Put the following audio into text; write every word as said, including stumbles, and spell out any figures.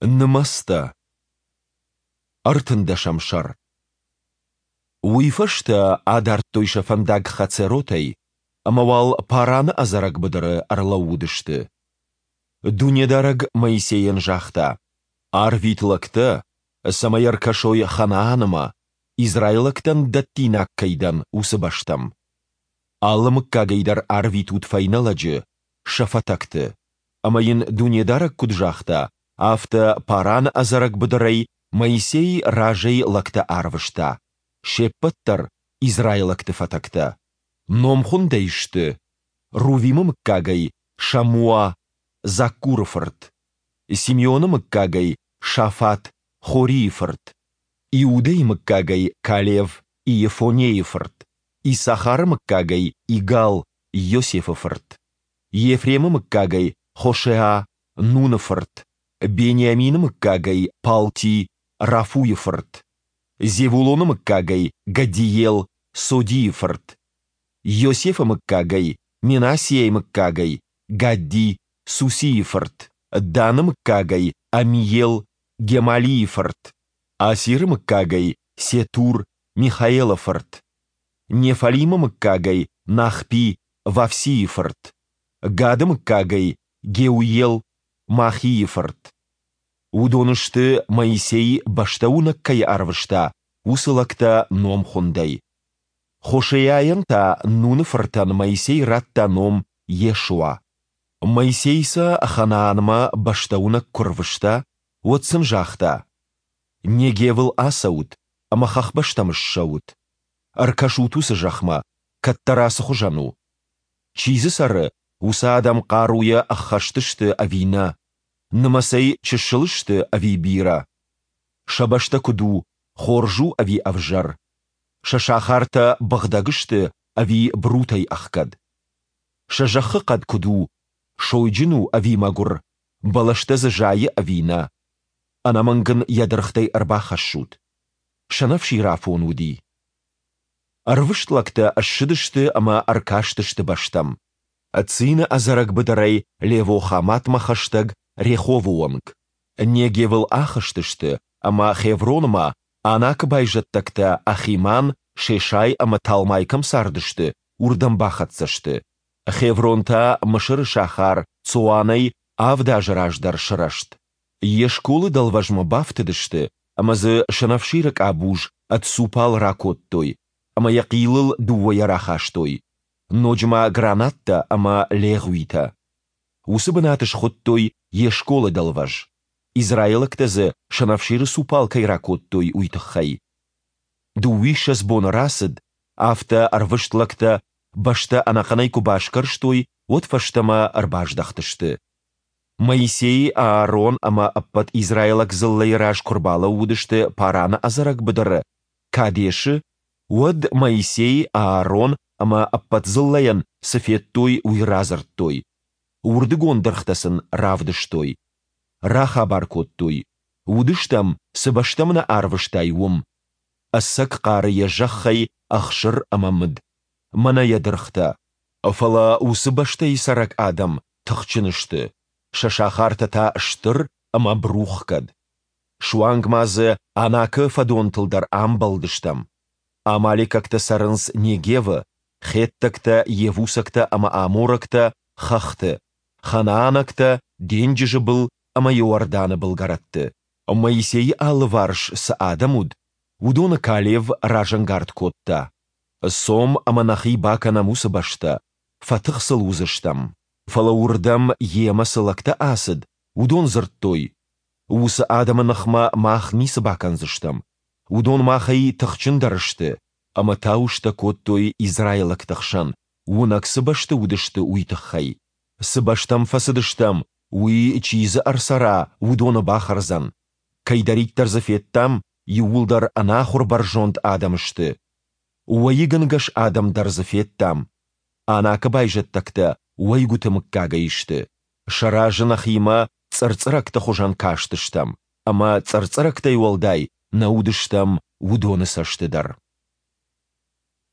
Нымӕцтӕ. Ӕртындӕсӕм сӕр. Уый фӕстӕ адардтой сӕ фӕндаг Хацеротӕй ӕмӕ уал Параны ӕдзӕрӕг быдыры ӕрлӕууыдысты. Дунедарӕг Моисейӕн загъта: «Арвит лӕгтӕ, цӕмӕй ӕркӕсой Ханаанмӕ, израилӕгтӕн дӕттинаг кӕй дӕн, уыцы бӕстӕм. Алы мыггагӕй дӕр арвитут фӕйнӕ лӕджы, сӕ фӕтӕгты». Ӕмӕ йын Дунедарӕг куыд загъта, афтӕ Параны ӕдзӕрӕг быдырӕй Моисей разӕй лӕгтӕ арвыста, се ппӕт дӕр израилӕгты фӕтӕгтӕ. Номхуындӕй сты: Рувимы мыггагӕй Шаммуа, Заккуры фырт; Симеоны мыггагӕй Шафат, Хорийы фырт; Иудӕйы мыггагӕй Калев, Иефоннейы фырт; Иссахары мыггагӕй Игал, Йосефы фырт; Ефремы мыггагӕй Хошеа, Нуны фырт; Бениамины мыггагӕй Палти, Рафуйы фырт; Зевулоны мыггагӕй Гаддиел, Содийы фырт; Йосефы мыггагӕй, Менассиайы мыггагӕй, Гадди, Сусийы фырт; Даны мыггагӕй Аммиел, Гемалийы фырт; Асиры мыггагӕй Сетур, Михаелы фырт; Неффалимы мыггагӕй Нахпи, Вафсийы фырт; Гады мыггагӕй Геуел, Махийы фырт. Уыдон сты, Моисей бӕстӕуынӕг кӕй арвыста, уыцы лӕгтӕ номхуындӕй. Хошейӕйӕн та Нуны фыртӕн Моисей радта ном Йешуа. Моисей сӕ Ханаанмӕ бӕстӕуынӕг куы рвыста, уӕд сын загъта: «Негевыл ацӕут ӕмӕ хӕхбӕстӕм ссӕут. Ӕркӕсут уыцы зӕхмӕ, кӕддӕра цы хуызӕн у. Чи дзы цӕры, уыцы адӕм хъаруйӕ ӕххӕст сты ӕви нӕ? Нымӕцӕй чысыл сты ӕви бирӕ? Сӕ бӕстӕ куыд у, хорз у ӕви ӕвзӕр? Сӕ сахартӕ быгъдӕг сты ӕви брутӕй ӕхгӕд? Сӕ зӕххы хъӕд куыд у, сойджын у ӕви мӕгуыр, бӕлӕстӕ дзы зайы ӕви нӕ? Ӕнӕмӕнг ын йӕ дыргътӕй ӕрбахӕссут. Сӕнӕфсирафон уыди. Ӕрвыст лӕгтӕ ссыдысты ӕмӕ ӕркастысты бӕстӕм. Цины ӕдзӕрӕг быдырӕй Лево-Хаматмӕ хӕстӕг Реховы онг. Негевыл ахызтысты ӕмӕ Хевронмӕ, Анакы байзӕддӕгтӕ Ахиман, Шешай ӕмӕ Талмай кӕм цардысты, уырдӕм бахӕццӕ сты. Хеврон та Мысыры сахар Цоанӕй авд азы раздӕр сырӕзт. Ешколы дӕлвӕзмӕ бафтыдысты ӕмӕ дзы сӕнӕфсиры къабуз ӕд цупал ракодтой ӕмӕ йӕ хъилыл дыууӕйӕ рахастой, ноджы ма гранаттӕ ӕмӕ легъуитӕ. Уыцы бынат схуыдтой Ешколы дӕлвӕз, израилӕгтӕ дзы сӕнӕфсиры цупал кӕй ракодтой, уый тыххӕй. Дыууиссӕдз боны рацыд, афтӕ ӕрвыст лӕгтӕ бӕстӕ ӕнӕхъӕнӕй куы басгӕрстой, уӕд фӕстӕмӕ ӕрбаздӕхтысты. Моисей, Аарон ӕмӕ ӕппӕт израилаг дзыллӕйы раз куы рбалӕууыдысты Параны ӕдзӕрӕг быдыры, Кадешы, уӕд Моисей, Аарон ӕмӕ ӕппӕт дзыллӕйӕн, цы федтой, уый радзырдтой. Уырдыгон дыргътӕ сын равдыстой. Рахабар кодтой: Уыдыстӕм, цы бӕстӕм нӕ арвыстай, уым. Ӕцӕг хъары йӕ зӕххӕй ӕхсыр ӕмӕ мыд. Мӕнӕ йӕ дыргътӕ. Фӕлӕ уыцы бӕстӕйы цӕрӕг адӕм тыхджын сты, сӕ сахартӕ та стыр ӕмӕ брухгӕд. Суанг ма дзы Анакы фӕдонтыл дӕр амбӕлдыстӕм. Амалекӕгтӕ цӕрынц Негевы, хеттӕгтӕ, йевусӕгтӕ ӕмӕ аморӕгтӕ хӕхты, ханаанӕгтӕ денджызы был ӕмӕ Иорданы былгӕрӕтты. Моисейы алыварс цы адӕм уыд, уыдоны Калев разӕнгард кодта: «Цом ӕмӕ нӕхи бакӕнӕм уыцы бӕстӕ, фӕтых сыл уыдзыстӕм». Фӕлӕ уырдӕм йемӕ цы лӕгтӕ ацыд, уыдон дзырдтой: «Уыцы адӕмы ныхмӕ мах ницы бакӕндзыстӕм. Уыдон махӕй тыхджындӕр сты». Ӕмӕ тауыстӕ кодтой израилӕгты хсӕн, уынӕг цы бӕсты уыдысты, уый тыххӕй. Цы бӕстӕм фӕцыдыстӕм, уый, чи дзы ӕрцӕра, уыдоны бахӕрдзӕн. Кӕйдӕриддӕр дзы федтам, иууылдӕр ӕнахуыр бӕрзонд адӕм сты. Уӕйыгӕнгӕс адӕм дӕр дзы федтам. Анакы байзӕддӕгтӕ уӕйгуыты мыггагӕй сты. Сӕ разы нӕхимӕ цъырцъырӕгты хуызӕн кастыстӕм, ӕмӕ цъырцъырӕгтӕй уӕлдай нӕ уыдыстӕм уыдоны цӕсты дӕр.